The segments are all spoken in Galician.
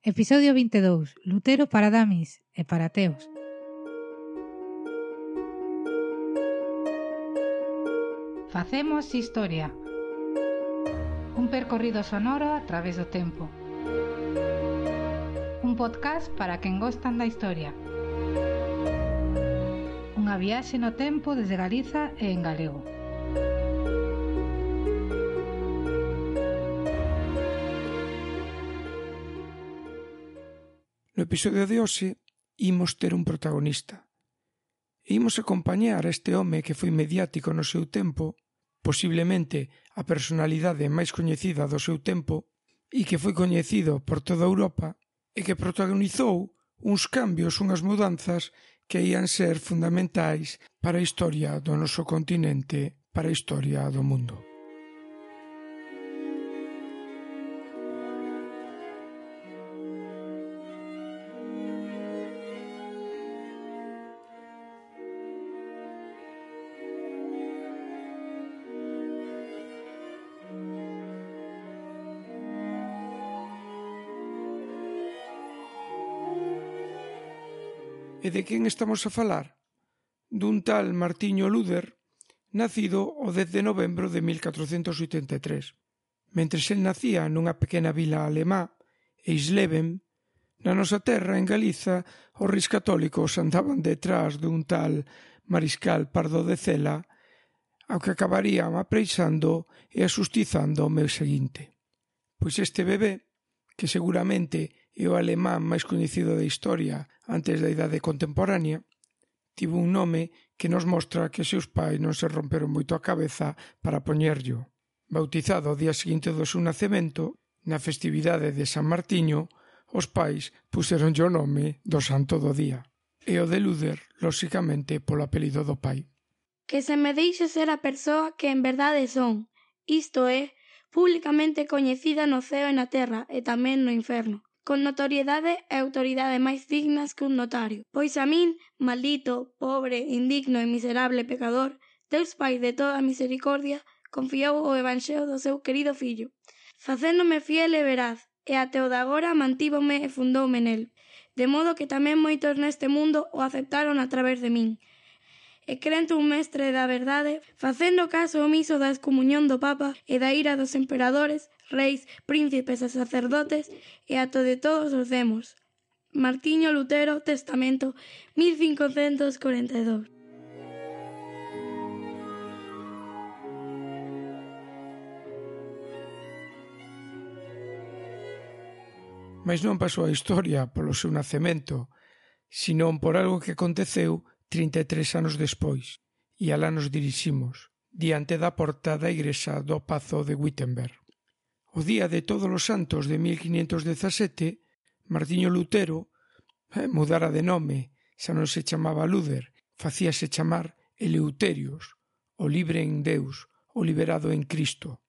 Episodio 22. Lutero para damis e para ateos. Facemos historia. Un percorrido sonoro a través do tempo. Un podcast para quen gostan da historia. Unha viaxe no tempo desde Galiza e en galego. No episodio de hoxe imos ter un protagonista. E imos acompañar a este home que foi mediático no seu tempo, posiblemente a personalidade máis coñecida do seu tempo e que foi coñecido por toda Europa e que protagonizou uns cambios, unhas mudanzas que ían ser fundamentais para a historia do noso continente, para a historia do mundo. E de quen estamos a falar? Dun tal Martiño Luther, nacido o 10 de novembro de 1483. Mentres el nacía nunha pequena vila alemá, Eisleben, na nosa terra, en Galiza, os reis católicos andaban detrás dun tal Mariscal Pardo de Cela, ao que acabarían apreixando e asustizando o mes seguinte. Pois este bebé, que seguramente é o alemán máis coñecido da historia antes da idade contemporánea, tivo un nome que nos mostra que seus pais non se romperon moito a cabeza para poñerllo. Bautizado o día seguinte do seu nacemento, na festividade de San Martiño, os pais puxeronlle o nome do santo do día. E o de Luther, lóxicamente, polo apelido do pai. Que se me deixe ser a persoa que en verdade son, isto é, publicamente coñecida no ceo e na terra e tamén no inferno, con notoriedade e autoridade máis dignas que un notario. Pois a min, maldito, pobre, indigno e miserable pecador, Deus Pai de toda a misericordia, confiou o evanxeo do seu querido fillo, facéndome fiel e veraz, e até o de agora mantívome e fundoume nel, de modo que tamén moitos neste mundo o aceptaron a través de min. E crente un mestre da verdade, facendo caso omiso da excomuñón do Papa e da ira dos emperadores, reis, príncipes e sacerdotes e ato de todos os demos. Martiño Lutero, Testamento, 1542. Mais non pasou a historia polo seu nacemento, senón por algo que aconteceu 33 anos despois, e alá nos diriximos, diante da porta da igrexa do Pazo de Wittenberg. O día de Todos os Santos de 1517, Martiño Lutero mudara de nome, xa non se chamaba Luther, facíase chamar Eleuterios, o libre en Deus, o liberado en Cristo.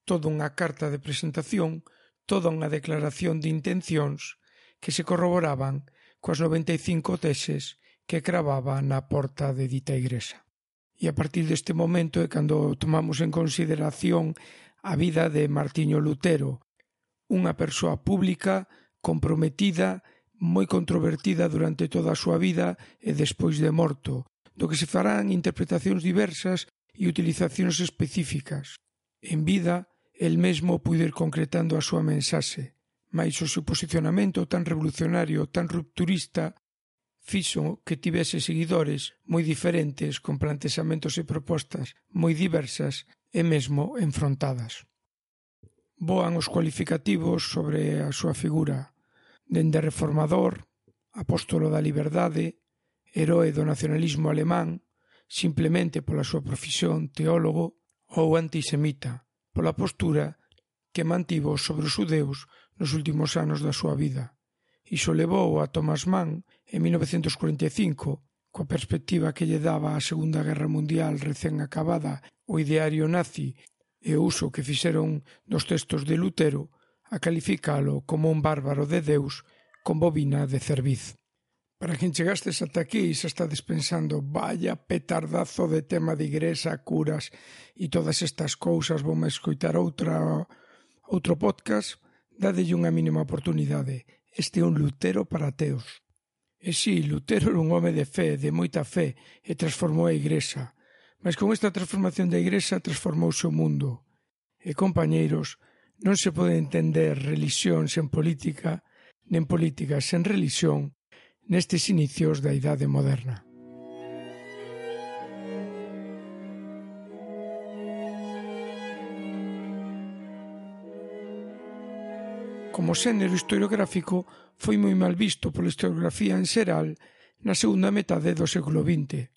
Toda unha carta de presentación, toda unha declaración de intencións que se corroboraban coas 95 teses que cravaba na porta de dita igrexa. E a partir deste momento é cando tomamos en consideración a vida de Martiño Lutero, unha persoa pública, comprometida, moi controvertida durante toda a súa vida e despois de morto, do que se farán interpretacións diversas e utilizacións específicas. En vida, el mesmo puido ir concretando a súa mensaxe, mais o seu posicionamento tan revolucionario, tan rupturista, fixo que tivese seguidores moi diferentes, con plantexamentos e propostas moi diversas e mesmo enfrontadas. Voan os cualificativos sobre a súa figura, dende reformador, apóstolo da liberdade, heroe do nacionalismo alemán, simplemente pola súa profesión, teólogo, ou antisemita, pola postura que mantivo sobre os xudeus nos últimos anos da súa vida. Iso levou a Thomas Mann, en 1945, coa perspectiva que lle daba a Segunda Guerra Mundial recén acabada o ideario nazi e o uso que fixeron dos textos de Lutero, a calificalo como un bárbaro de Deus con bobina de cerviz. Para quen chegastes ata aquí e xa estades pensando vaya petardazo de tema de igrexa, curas e todas estas cousas, voume escoitar outro podcast, Dádelle unha mínima oportunidade. Este é un Lutero para ateos. E si, Lutero era un home de fe, de moita fe, e transformou a Igrexa. Mas con esta transformación da Igrexa transformouse o mundo. E, compañeiros, non se pode entender relixión sen política, nen política sen relixión, nestes inicios da Idade Moderna. Como xénero historiográfico, foi moi mal visto pola historiografía en xeral na segunda metade do século XX.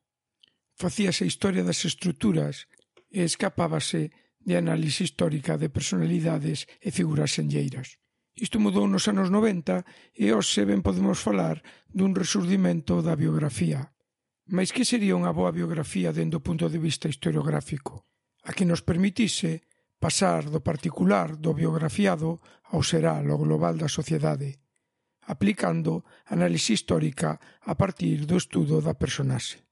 Facíase a historia das estruturas e escapábase de análise histórica de personalidades e figuras senlleiras. Isto mudou nos anos 90 e hoxe ben podemos falar dun resurdimento da biografía. Mais que sería unha boa biografía dende o punto de vista historiográfico? A que nos permitise pasar do particular, do biografiado, ao xeral, ao global da sociedade, aplicando análise histórica a partir do estudo da personaxe.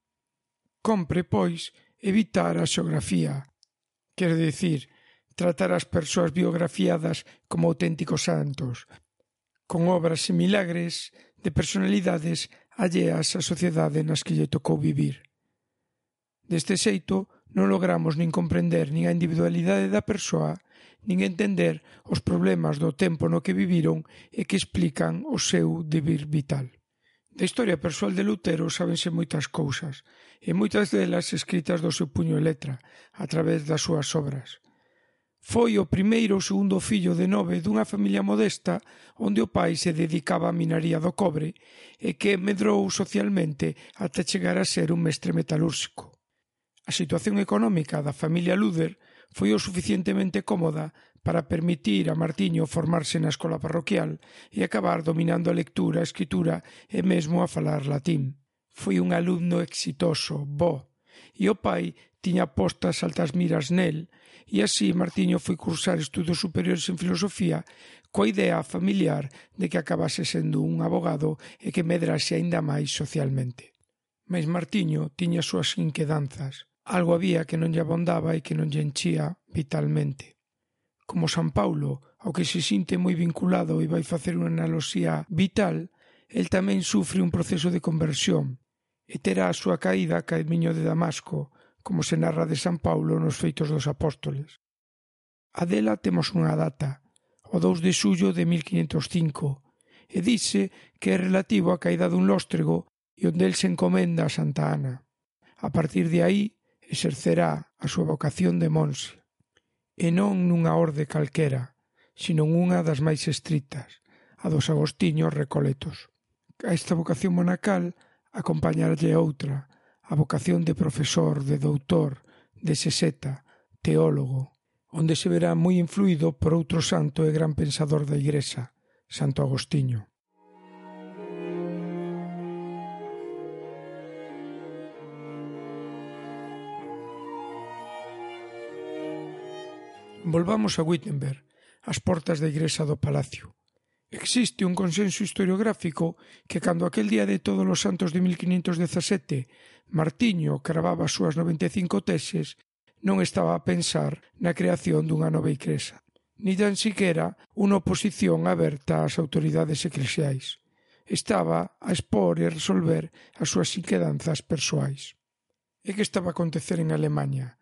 Compre, pois, evitar a xeografía, quero dicir, tratar as persoas biografiadas como auténticos santos, con obras e milagres de personalidades alleas á sociedade nas que lle tocou vivir. Deste xeito, non logramos nin comprender nin a individualidade da persoa, nin entender os problemas do tempo no que viviron e que explican o seu devir vital. Da historia persoal de Lutero sábense moitas cousas, e moitas delas escritas do seu puño e letra, a través das súas obras. Foi o primeiro ou segundo fillo de 9 dunha familia modesta onde o pai se dedicaba á minaría do cobre e que medrou socialmente ata chegar a ser un mestre metalúrxico. A situación económica da familia Luder foi o suficientemente cómoda para permitir a Martiño formarse na escola parroquial e acabar dominando a lectura, a escritura e mesmo a falar latín. Foi un alumno exitoso, bo, e o pai tiña postas altas miras nel, e así Martiño foi cursar estudos superiores en filosofía coa idea familiar de que acabase sendo un abogado e que medrase aínda máis socialmente. Mais Martiño tiña as súas inquedanzas. Algo había que non lle abondaba e que non lle enchía vitalmente. Como San Paulo, ao que se sinte moi vinculado e vai facer unha analoxía vital, el tamén sufre un proceso de conversión e terá a súa caída a camiño de Damasco, como se narra de San Paulo nos Feitos dos Apóstoles. A dela temos unha data, o 2 de xullo de 1505, e dice que é relativo á caída dun lóstrego e onde el se encomenda a Santa Ana. A partir de aí, exercerá a súa vocación de monxe, e non nunha orde calquera, sino unha das máis estritas, a dos agostiños recoletos. A esta vocación monacal acompañarlle outra, a vocación de profesor, de doutor, de seseta, teólogo, onde se verá moi influído por outro santo e gran pensador da Igrexa, Santo Agostiño. Volvamos a Wittenberg, ás portas da Igrexa do Palacio. Existe un consenso historiográfico que cando aquel día de todos os santos de 1517 Martiño cravaba as súas 95 teses, non estaba a pensar na creación dunha nova igrexa, ni tan siquera unha oposición aberta ás autoridades eclesiais. Estaba a expor e resolver as súas inquedanzas persoais. E que estaba a acontecer en Alemanha?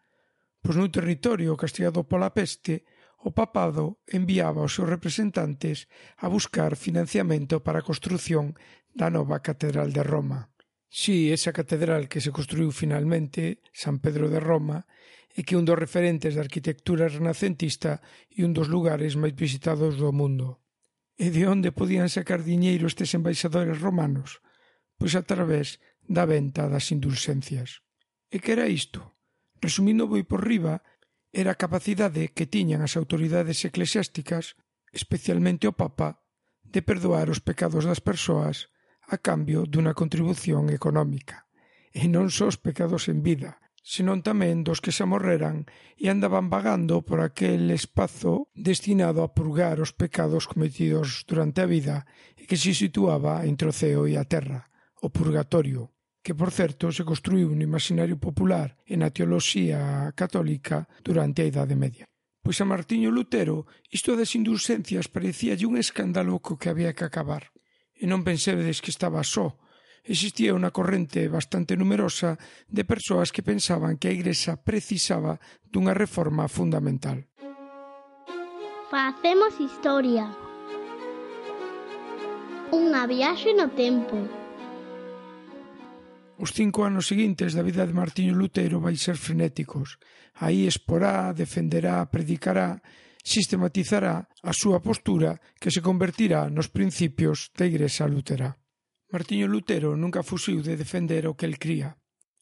Pois nun territorio castigado pola peste, o papado enviaba os seus representantes a buscar financiamento para a construción da nova Catedral de Roma. Si, esa catedral que se construiu finalmente, San Pedro de Roma, e que é un dos referentes da arquitectura renacentista e un dos lugares máis visitados do mundo. E de onde podían sacar diñeiro estes embaixadores romanos? Pois a través da venta das indulxencias. E que era isto? Resumindo moi por riba, era a capacidade que tiñan as autoridades eclesiásticas, especialmente o Papa, de perdoar os pecados das persoas a cambio dunha contribución económica. E non só os pecados en vida, senón tamén dos que se amorreran e andaban vagando por aquel espazo destinado a purgar os pecados cometidos durante a vida e que se situaba entre o ceo e a terra, o purgatorio, que, por certo, se construiu no imaginario popular e na teoloxía católica durante a Idade Media. pois a Martiño Lutero isto das indulxencias parecíalle un escándalo co que había que acabar. E non pensedes que estaba só. Existía unha corrente bastante numerosa de persoas que pensaban que a Igrexa precisaba dunha reforma fundamental. Facemos historia. Unha viaxe no tempo. Os 5 anos seguintes da vida de Martiño Lutero vai ser frenéticos. Aí exporá, defenderá, predicará, sistematizará a súa postura que se convertirá nos principios da Igrexa luterá. Martiño Lutero nunca fuxiu de defender o que el cría.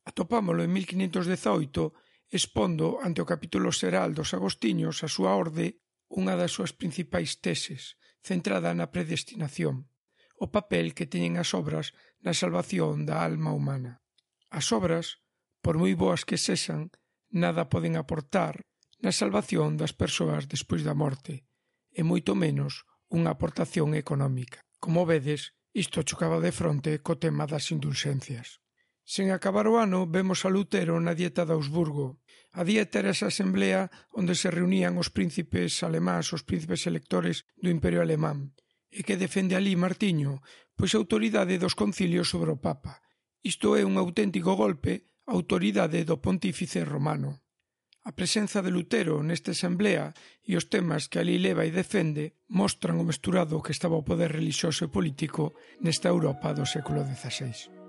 Atopámolo en 1518 expondo ante o capítulo xeral dos agostiños a súa orde unha das súas principais teses, centrada na predestinación, o papel que teñen as obras na salvación da alma humana. As obras, por moi boas que sexan, nada poden aportar na salvación das persoas despois da morte, e moito menos unha aportación económica. Como vedes, isto chocaba de fronte co tema das indulxencias. Sen acabar o ano, vemos a Lutero na Dieta de Augsburgo. A Dieta era esa asemblea onde se reunían os príncipes alemáns, os príncipes electores do Imperio Alemán. E que defende ali Martiño? Pois a autoridade dos concilios sobre o Papa. Isto é un auténtico golpe á autoridade do pontífice romano. A presenza de Lutero nesta asemblea e os temas que ali leva e defende mostran o mesturado que estaba o poder relixioso e político nesta Europa do século XVI.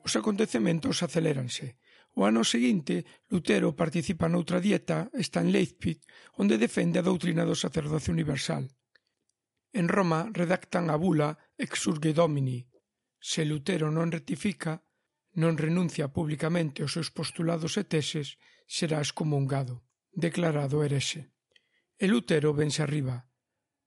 Os acontecementos aceléranse. O ano seguinte, Lutero participa noutra dieta, está en Leipzig, onde defende a doutrina do sacerdocio universal. En Roma redactan a bula Exsurge Domini. Se Lutero non rectifica, non renuncia públicamente aos seus postulados e teses, será excomungado, declarado herexe. E Lutero vense arriba.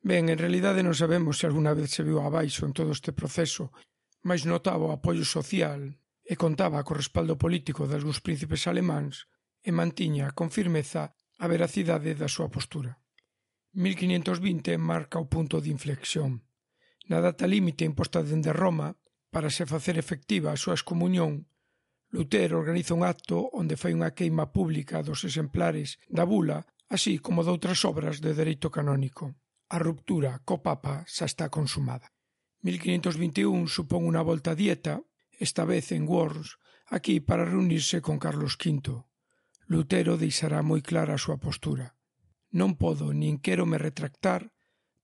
Ben, en realidade non sabemos se alguna vez se viu abaixo en todo este proceso, mais notaba o apoio social e contaba co respaldo político de algúns príncipes alemáns e mantiña con firmeza a veracidade da súa postura. 1520 marca o punto de inflexión. Na data límite imposta dende Roma, para se facer efectiva a súa excomuñón, Lutero organiza un acto onde fai unha queima pública dos exemplares da bula, así como de outras obras de dereito canónico. A ruptura co Papa xa está consumada. 1521 supón unha volta a Dieta, esta vez en Worms, aquí para reunirse con Carlos V. Lutero deixará moi clara a súa postura. Non podo nin quero me retractar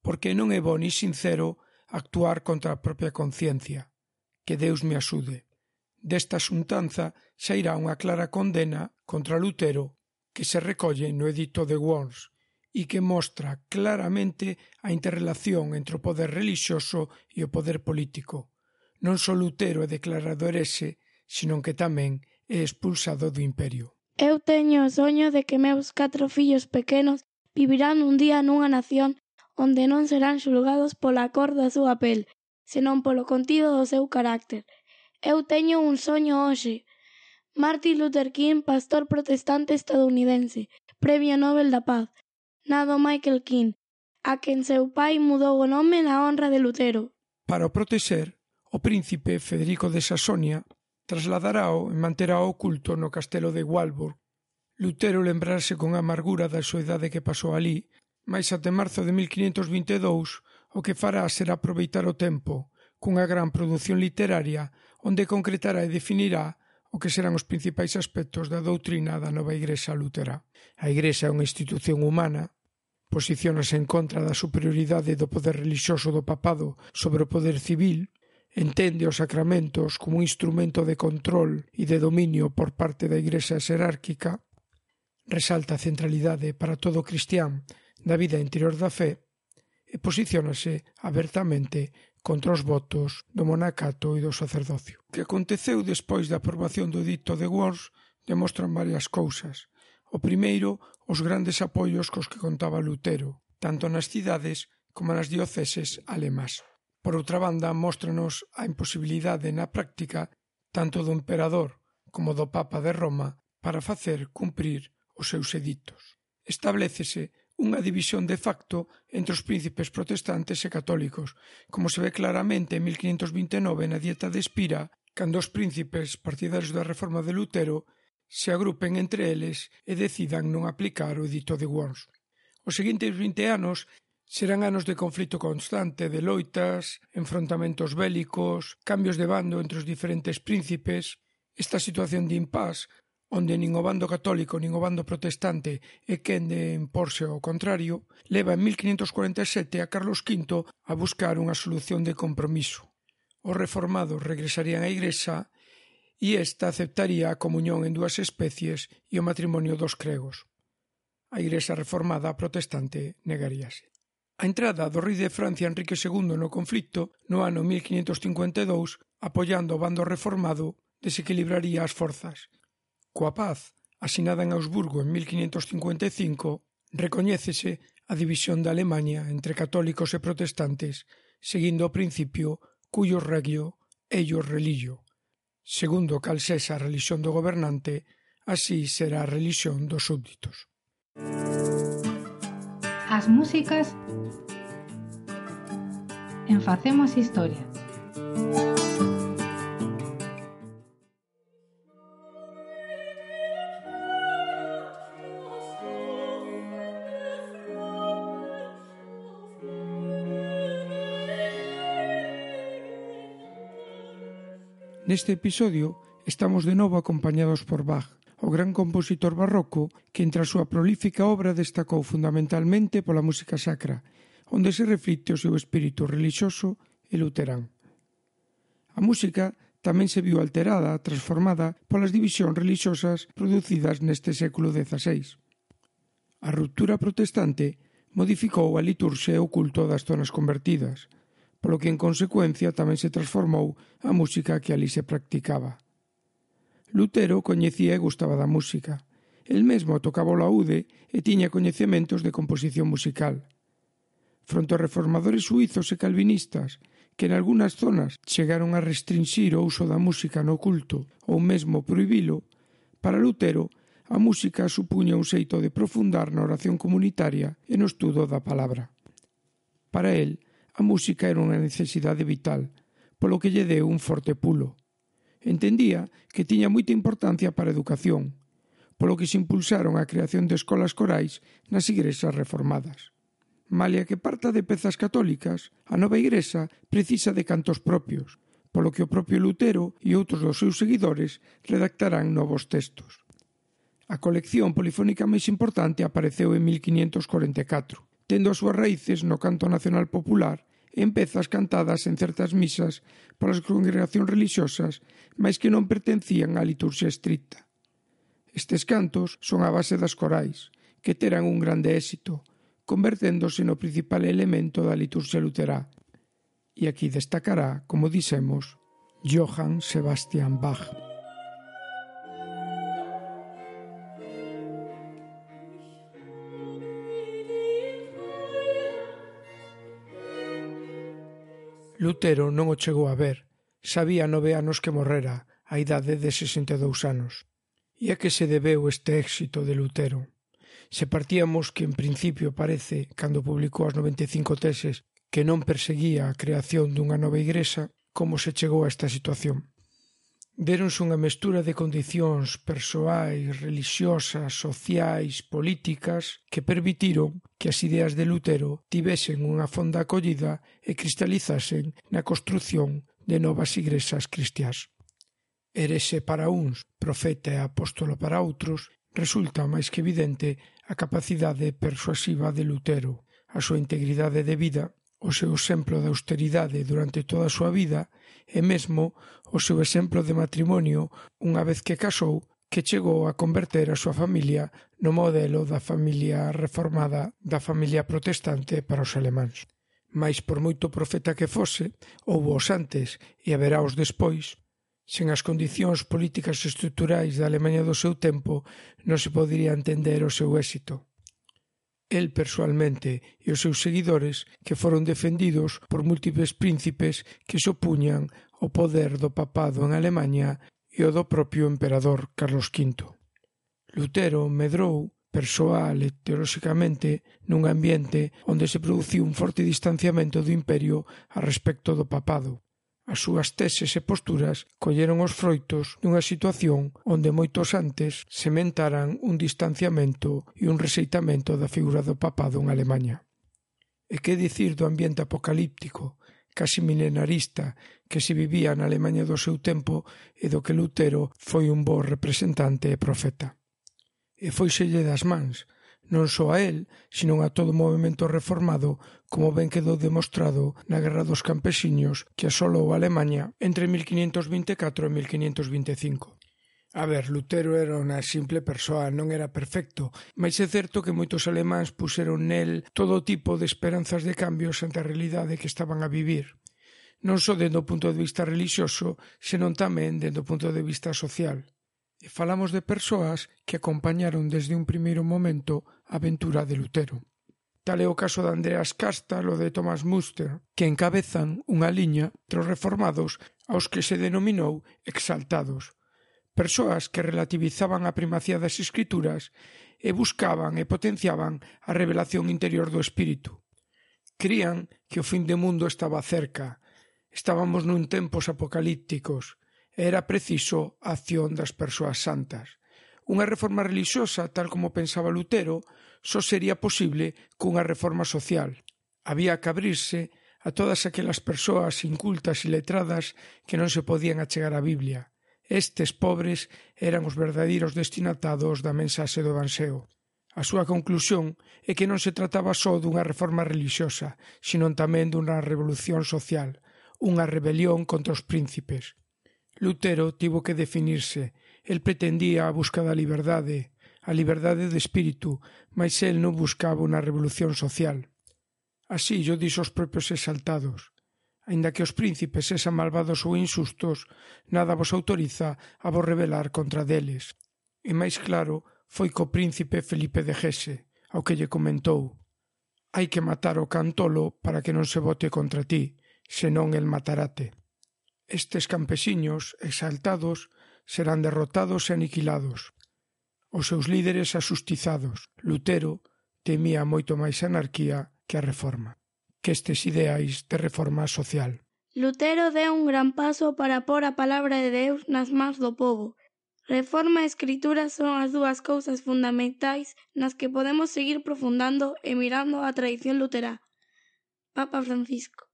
porque non é bo ni sincero actuar contra a propia conciencia. Que Deus me axude. Desta xuntanza xa irá unha clara condena contra Lutero que se recolle no edicto de Worms e que mostra claramente a interrelación entre o poder relixioso e o poder político. Non só Lutero é declarado herexe, senón que tamén é expulsado do imperio. Eu teño o soño de que meus 4 fillos pequenos vivirán un día nunha nación onde non serán xulgados pola cor da súa pel, senón polo contido do seu carácter. Eu teño un soño hoxe. Martin Luther King, pastor protestante estadounidense, Premio Nobel da Paz. Nado Michael King, a quen seu pai mudou o nome na honra de Lutero. Para o protexer, o príncipe Federico de Sasonia trasladarao e manterá oculto no castelo de Walburg. Lutero lembrarse con amargura da soidade que pasou ali, mais até marzo de 1522 o que fará será aproveitar o tempo cunha gran produción literaria onde concretará e definirá o que serán os principais aspectos da doutrina da nova Igrexa luterá. A Igrexa é unha institución humana, posiciónase en contra da superioridade do poder relixioso do papado sobre o poder civil, entende os sacramentos como un instrumento de control e de dominio por parte da Igrexa xerárquica, resalta a centralidade para todo cristián da vida interior da fe e posiciónase abertamente contra os votos do monacato e do sacerdocio. O que aconteceu despois da aprobación do edicto de Worms demostran varias cousas. O primeiro, os grandes apoios cos que contaba Lutero, tanto nas cidades como nas dioceses alemás. Por outra banda, móstranos a imposibilidade na práctica tanto do emperador como do Papa de Roma para facer cumprir os seus editos. Establécese unha división de facto entre os príncipes protestantes e católicos, como se ve claramente en 1529 na Dieta de Espira, cando os príncipes partidarios da reforma de Lutero se agrupen entre eles e decidan non aplicar o edito de Worms. Os seguintes 20 anos serán anos de conflito constante, de loitas, enfrontamentos bélicos, cambios de bando entre os diferentes príncipes. Esta situación de impás, onde nin o bando católico nin o bando protestante é quen de imporse ao contrario, leva en 1547 a Carlos V a buscar unha solución de compromiso. Os reformados regresarían á Igrexa e esta aceptaría a comunión en dúas especies e o matrimonio dos cregos. A Igrexa reformada a protestante negaríase. A entrada do rei de Francia Enrique II no conflito no ano 1552, apoiando o bando reformado, desequilibraría as forzas. Coa paz, asinada en Augsburgo en 1555, recoñécese a división da Alemaña entre católicos e protestantes, seguindo o principio cuius regio, eius religio. Segundo cal sexa a relixión do gobernante, así será a relixión dos súbditos. As músicas en Facemos Historia. Neste episodio estamos de novo acompañados por Bach, o gran compositor barroco que entre a súa prolífica obra destacou fundamentalmente pola música sacra, onde se reflicte o seu espírito relixioso e luterán. A música tamén se viu alterada, transformada polas divisións relixiosas producidas neste século XVI. A ruptura protestante modificou a liturxia e o culto das zonas convertidas, polo que en consecuencia tamén se transformou a música que ali se practicaba. Lutero coñecía e gustaba da música. El mesmo tocaba o laúde e tiña coñecementos de composición musical. Fronte aos reformadores suizos e calvinistas, que en algunhas zonas chegaron a restrinxir o uso da música no culto ou mesmo prohibilo, para Lutero a música supuña un xeito de profundar na oración comunitaria e no estudo da palabra. Para el, a música era unha necesidade vital, polo que lle deu un forte pulo. Entendía que tiña moita importancia para a educación, polo que se impulsaron a creación de escolas corais nas igrexas reformadas. Malia que parta de pezas católicas, a nova igrexa precisa de cantos propios, polo que o propio Lutero e outros dos seus seguidores redactarán novos textos. A colección polifónica máis importante apareceu en 1544, tendo as súas raíces no canto nacional popular e en pezas cantadas en certas misas polas congregacións religiosas, mais que non pertencían á liturxia estricta. Estes cantos son a base das corais, que terán un grande éxito, converténdose no principal elemento da liturxia luterá. E aquí destacará, como dixemos, Johann Sebastian Bach. Lutero non o chegou a ver, sabía 9 anos que morrera, á idade de 62 anos. E a que se debeu este éxito de Lutero? Se partíamos que en principio parece, cando publicou as 95 teses, que non perseguía a creación dunha nova igrexa, como se chegou a esta situación? Déronse unha mestura de condicións persoais, religiosas, sociais, políticas que permitiron que as ideas de Lutero tivesen unha fonda acollida e cristalizasen na construción de novas igrexas cristiás. Herexe para uns, profeta e apóstolo para outros, resulta máis que evidente a capacidade persuasiva de Lutero, a súa integridade de vida, o seu exemplo de austeridade durante toda a súa vida e mesmo o seu exemplo de matrimonio unha vez que casou, que chegou a converter a súa familia no modelo da familia reformada da familia protestante para os alemáns. Mais por moito profeta que fose, houbo os antes e haberá os despois. Sen as condicións políticas e estruturais da Alemanha do seu tempo non se podería entender o seu éxito. El persoalmente e os seus seguidores que foron defendidos por múltiples príncipes que se opuñan ao poder do papado en Alemanha e o do propio emperador Carlos V. Lutero medrou persoal e teolóxicamente nun ambiente onde se produciu un forte distanciamento do imperio a respecto do papado. As súas teses e posturas colleron os froitos dunha situación onde moitos antes sementaran un distanciamento e un rexeitamento da figura do papado en Alemanha. E que dicir do ambiente apocalíptico, casi milenarista, que se vivía na Alemanha do seu tempo e do que Lutero foi un bo representante e profeta. E fóiselle das mans, non só a él, sino a todo o movemento reformado, como ben quedou demostrado na Guerra dos Campesiños que asolou a Alemanha entre 1524 e 1525. A ver, Lutero era unha simple persoa, non era perfecto, mas é certo que moitos alemáns puxeron nel todo tipo de esperanzas de cambios ante a realidade que estaban a vivir, non só dende o punto de vista religioso, senón tamén dende o punto de vista social. E falamos de persoas que acompañaron desde un primeiro momento a aventura de Lutero. Tal é o caso de Andreas Kastal ou de Thomas Muster, que encabezan unha liña entre os reformados aos que se denominou exaltados, persoas que relativizaban a primacía das escrituras e buscaban e potenciaban a revelación interior do espírito. Crían que o fin do mundo estaba cerca, estábamos nun tempos apocalípticos, era preciso a acción das persoas santas. Unha reforma religiosa, tal como pensaba Lutero, só sería posible cunha reforma social. Había que abrirse a todas aquelas persoas incultas e letradas que non se podían achegar á Biblia. Estes pobres eran os verdadeiros destinatados da mensaxe do Evanxeo. A súa conclusión é que non se trataba só dunha reforma religiosa, sino tamén dunha revolución social, unha rebelión contra os príncipes. Lutero tivo que definirse. El pretendía a busca da liberdade, a liberdade de espírito, mas el non buscaba unha revolución social. Así llo dixo os propios exaltados. Aínda que os príncipes sean malvados ou insustos, nada vos autoriza a vos rebelar contra deles. E máis claro foi co príncipe Felipe de Hesse, ao que lle comentou: hai que matar o cantolo para que non se vote contra ti, senón el matarate. Estes campesiños exaltados serán derrotados e aniquilados, os seus líderes asustizados. Lutero temía moito máis a anarquía que a reforma, que estes ideais de reforma social. Lutero deu un gran paso para pôr a palabra de Deus nas mans do pobo. Reforma e escritura son as dúas cousas fundamentais nas que podemos seguir profundando e mirando a tradición luterá. Papa Francisco.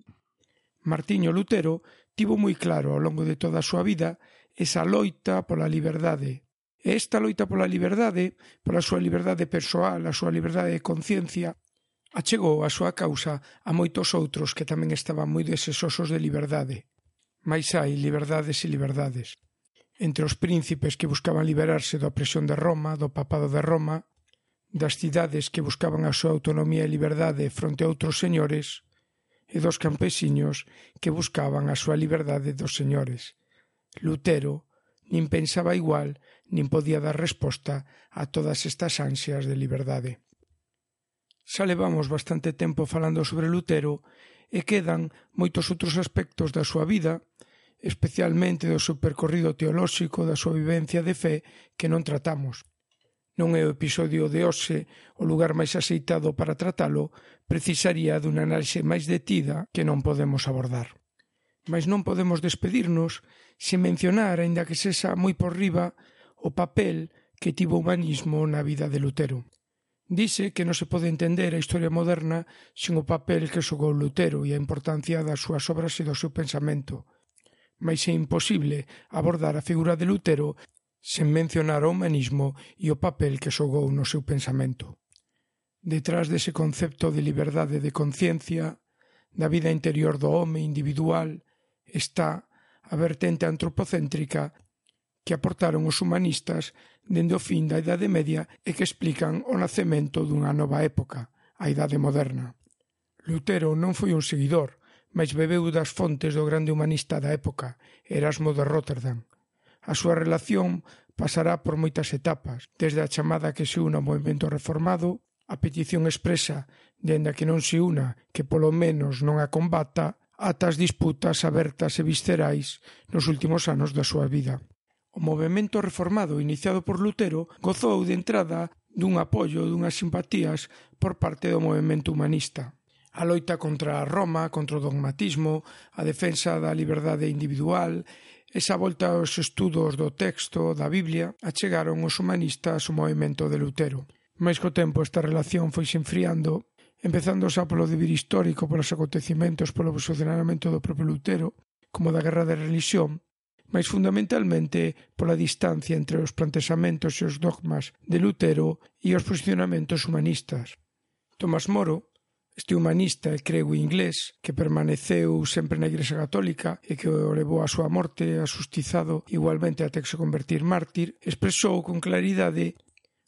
Martiño Lutero tivo moi claro ao longo de toda a súa vida esa loita pola liberdade. E esta loita pola liberdade, pola súa liberdade persoal, a súa liberdade de conciencia, achegou a súa causa a moitos outros que tamén estaban moi desesosos de liberdade. Mais hai liberdades e liberdades. Entre os príncipes que buscaban liberarse da opresión de Roma, do papado de Roma, das cidades que buscaban a súa autonomía e liberdade fronte a outros señores, e dos campesiños que buscaban a súa liberdade dos señores. Lutero nin pensaba igual, nin podía dar resposta a todas estas ansias de liberdade. Xa levamos bastante tempo falando sobre Lutero e quedan moitos outros aspectos da súa vida, especialmente do seu percorrido teolóxico, da súa vivencia de fe, que non tratamos. Non é o episodio de hoxe o lugar máis axeitado para tratalo, precisaría dunha análise máis detida que non podemos abordar. Mas non podemos despedirnos sen mencionar, aínda que sexa moi por riba, o papel que tivo o humanismo na vida de Lutero. Dice que non se pode entender a historia moderna sen o papel que xogou Lutero e a importancia das súas obras e do seu pensamento. Mais é imposible abordar a figura de Lutero sen mencionar o humanismo e o papel que xogou no seu pensamento. Detrás dese concepto de liberdade de conciencia, da vida interior do home individual, está a vertente antropocéntrica que aportaron os humanistas dende o fin da Idade Media e que explican o nacemento dunha nova época, a Idade Moderna. Lutero non foi un seguidor, mas bebeu das fontes do grande humanista da época, Erasmo de Róterdam. A súa relación pasará por moitas etapas, desde a chamada que se una ao movimento reformado, a petición expresa dende a que non se una, que polo menos non a combata, ata as disputas abertas e viscerais nos últimos anos da súa vida. O movemento reformado iniciado por Lutero gozou de entrada dun apoio, dunhas simpatías por parte do movemento humanista. A loita contra Roma, contra o dogmatismo, a defensa da liberdade individual, esa volta aos estudos do texto da Biblia achegaron os humanistas ao movemento de Lutero. Mais co tempo esta relación foi se enfriando, empezando xa polo deber histórico, polos acontecimentos, polo posicionamento do propio Lutero, como da guerra de religión, mas fundamentalmente pola distancia entre os plantexamentos e os dogmas de Lutero e os posicionamentos humanistas. Tomás Moro, este humanista e crego inglés que permaneceu sempre na Igrexa Católica e que o levou á súa morte, asustizado igualmente até que se convertir mártir, expresou con claridade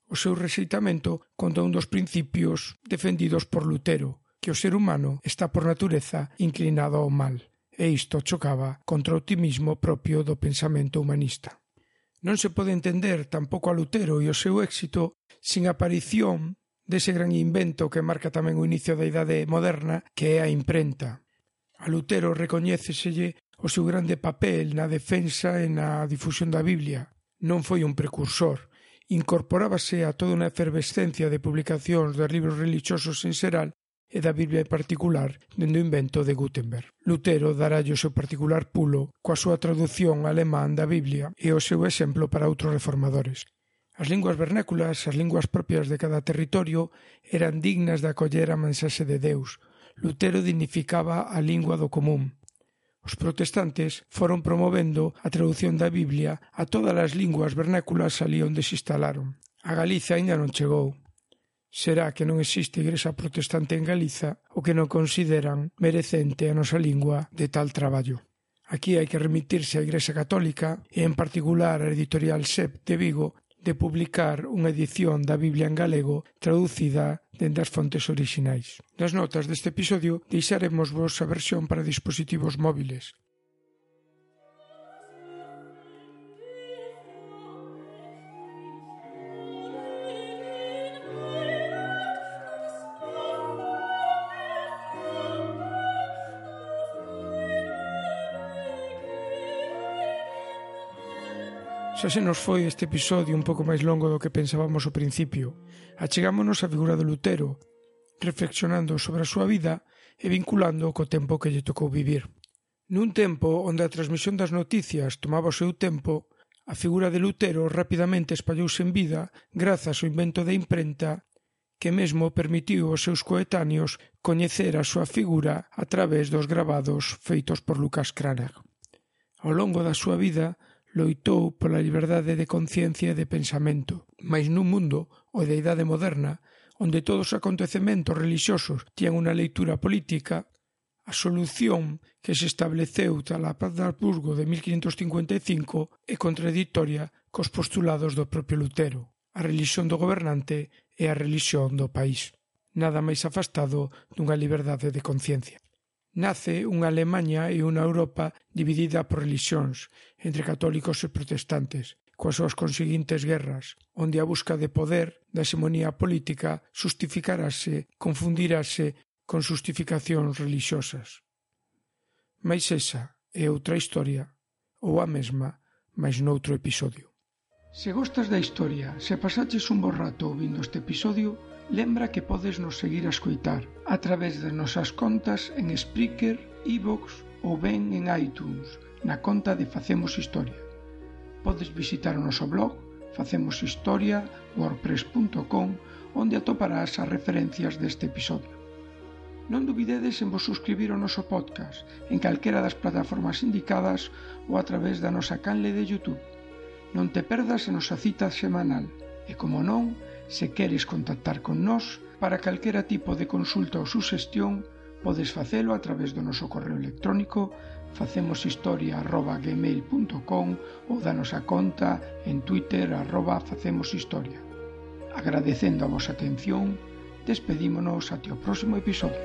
o seu rexeitamento contra un dos principios defendidos por Lutero, que o ser humano está por natureza inclinado ao mal. E isto chocaba contra o optimismo propio do pensamento humanista. Non se pode entender tampouco a Lutero e o seu éxito sin a aparición dese gran invento que marca tamén o inicio da idade moderna, que é a imprenta. A Lutero recoñéceselle o seu grande papel na defensa e na difusión da Biblia. Non foi un precursor. Incorporábase a toda unha efervescencia de publicacións de libros religiosos en xeral e da Biblia en particular dende o invento de Gutenberg. Lutero daralle o seu particular pulo coa súa traducción alemán da Biblia e o seu exemplo para outros reformadores. As linguas vernáculas, as linguas propias de cada territorio, eran dignas de acoller a mensaxe de Deus. Lutero dignificaba a lingua do común. Os protestantes foron promovendo a traducción da Biblia a todas as linguas vernáculas ali onde se instalaron. A Galiza aínda non chegou. Será que non existe igrexa protestante en Galiza o que non consideran merecente a nosa lingua de tal traballo. Aquí hai que remitirse á Igrexa Católica e en particular a editorial SEP de Vigo de publicar unha edición da Biblia en galego traducida dende as fontes orixinais. Nas notas deste episodio deixaremos vos a versión para dispositivos móviles. Xa se nos foi este episodio un pouco máis longo do que pensábamos ao principio. Achegámonos á figura de Lutero, reflexionando sobre a súa vida e vinculando co tempo que lle tocou vivir. Nun tempo onde a transmisión das noticias tomaba o seu tempo, a figura de Lutero rapidamente espallouse en vida grazas ao invento da imprenta que mesmo permitiu aos seus coetáneos coñecer a súa figura a través dos gravados feitos por Lucas Cranach. Ao longo da súa vida loitou pola liberdade de conciencia e de pensamento, mais nun mundo, o da idade moderna, onde todos os acontecementos religiosos tiñan unha leitura política, a solución que se estableceu tras a Paz de Habsburgo de 1555 é contradictoria cos postulados do propio Lutero, a relixión do gobernante e a relixión do país. Nada máis afastado dunha liberdade de conciencia. Nace unha Alemanha e unha Europa dividida por relixións, entre católicos e protestantes, coas súas conseguintes guerras, onde a busca de poder, da hexemonía política, justificarase, confundirase con justificacións religiosas. Mais esa é outra historia, ou a mesma, mais noutro episodio. Se gostas da historia, se pasaches un bo rato ouvindo este episodio, lembra que podes nos seguir a escoitar a través das nosas contas en Spreaker, iVoox ou ben en iTunes, na conta de Facemos Historia. Podes visitar o noso blog facemoshistoria.wordpress.com, onde atoparás as referencias deste episodio. Non dubidedes en vos suscribir ao noso podcast en calquera das plataformas indicadas ou a través da nosa canle de YouTube. Non te perdas a nosa cita semanal e, como non, se queres contactar con nós para calquera tipo de consulta ou suxestión, podes facelo a través do noso correo electrónico facemoshistoria@gmail.com ou da nosa conta en Twitter @facemoshistoria. Agradecendo a vosa atención, despedímonos até o próximo episodio.